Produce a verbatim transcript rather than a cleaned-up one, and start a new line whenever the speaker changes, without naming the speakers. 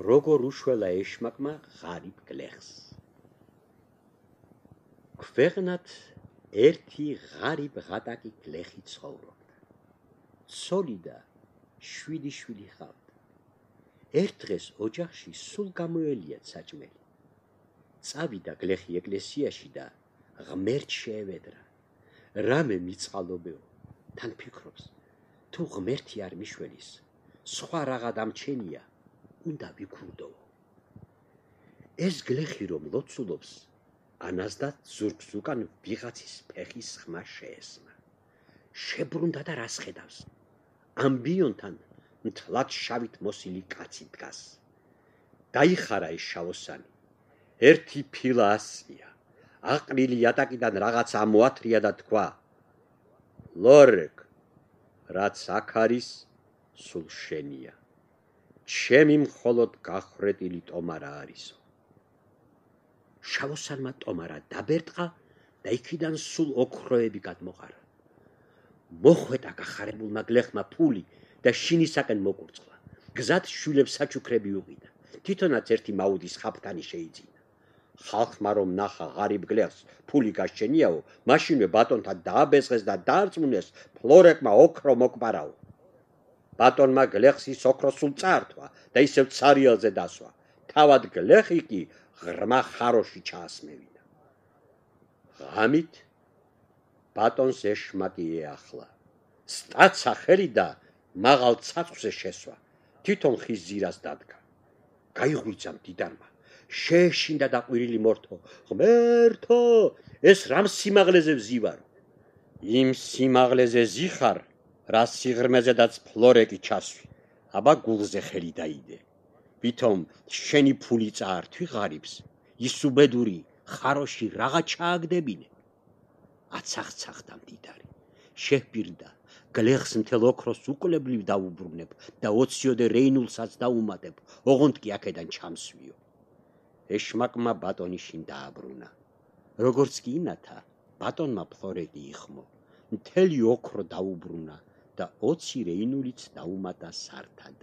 როგორ უშველა ეშმაკმა ღარიბ გლეხს. ქვეყნად ერთი ღარიბ ღატაკი გლეხი ცხოვრობდა. ცოლი და შვიდი შვილი ჰყავდა. ერთ დღეს ოჯახში სულ გამოელიათ საჭმელი. წავიდა გლეხი ეკლესიაში და ღმერთს შეევედრა. რამე მიწყალობეო, თან ფიქრობს, თუ ღმერთი არ მიშველის, სხვა რაღა დამჩენია, უნდა ვიქურდოო. ეს გლეხი რომ ლოცულობს, ანაზდა ზურგს უკან ვიღაცის ფეხის ხმა შეესმა. შებრუნდა და რას ხედავს? ამბიონთან მთლად შავით მოსილი კაცი დგას. დაიხარა ეს შავოსანი. ერთი ფილა ასწია. აყრილი იატაკიდან რაღაც ამოათრია და თქვა: ლორეკ, რაც აქ არის, სულ შენია. ჩემი მხოლოდ გახრეტილი ტომარა არისო. შავოსანმა ტომარა დაბერტყა და იქიდან სულ ოქროები გადმოყარა. მოხვედა გახარებულმა გლეხმა ფული და შინისაკენ მოკურწყლა. გზად შვილებს საჩუქრები უყიდა. თვითონაც ერთი მაუდის ხაფთანი შეიძინა. ხალხმა რომ ნახა ღარიბ გლეხს ფული გაშენიაო, მაშინვე ბატონთან დააბეზღეს და დაარწმუნეს ფლორეკმა ოქრო მოკპარაო. ბატონმა გლეხს ის ოქრო სულ წაართვა და ისევ ცარიელზე დასვა. თავად გლეხი კი ღრმა ხაროში ჩაასმევინა. ღამით ბატონს ეშმაკი ეახლა. სტაცა ხელი და მაღალ ცაცხვზე შესვა. თვითონ ხის ძირას დადგა. გაიღვიძა მდიდარმა. შეეშინდა და ყვირილი მორთო. ღმერთო, ეს რამ სიმაღლეზე ვზივარო? იმ სიმაღლეზე ზიხარ, რა სიღრმეზედაც ფლორეკი ჩასვი. აბა გულზე ხელი დაიდე. ვითომ შენი ფული წაართვი ღარიბს, ის უბედური ხაროში რაღა ჩააგდებინე. აცახცახდა მდიდარი. შეჰპირდა, გლეხს მთელ ოქროს უკვლებლივ დაუბრუნებ და ოციოდე რეინულსაც დაუმატებ, ოღონდ კი აქედან ჩამსვიო. ეშმაკმა ბატონი შინ დააბრუნა. როგორც კი ინათა, ბატონმა ფლორეკი იხმო. მთელი ოქრო დაუბრუნა და ოცი რეინულიც დაუმატა სართად.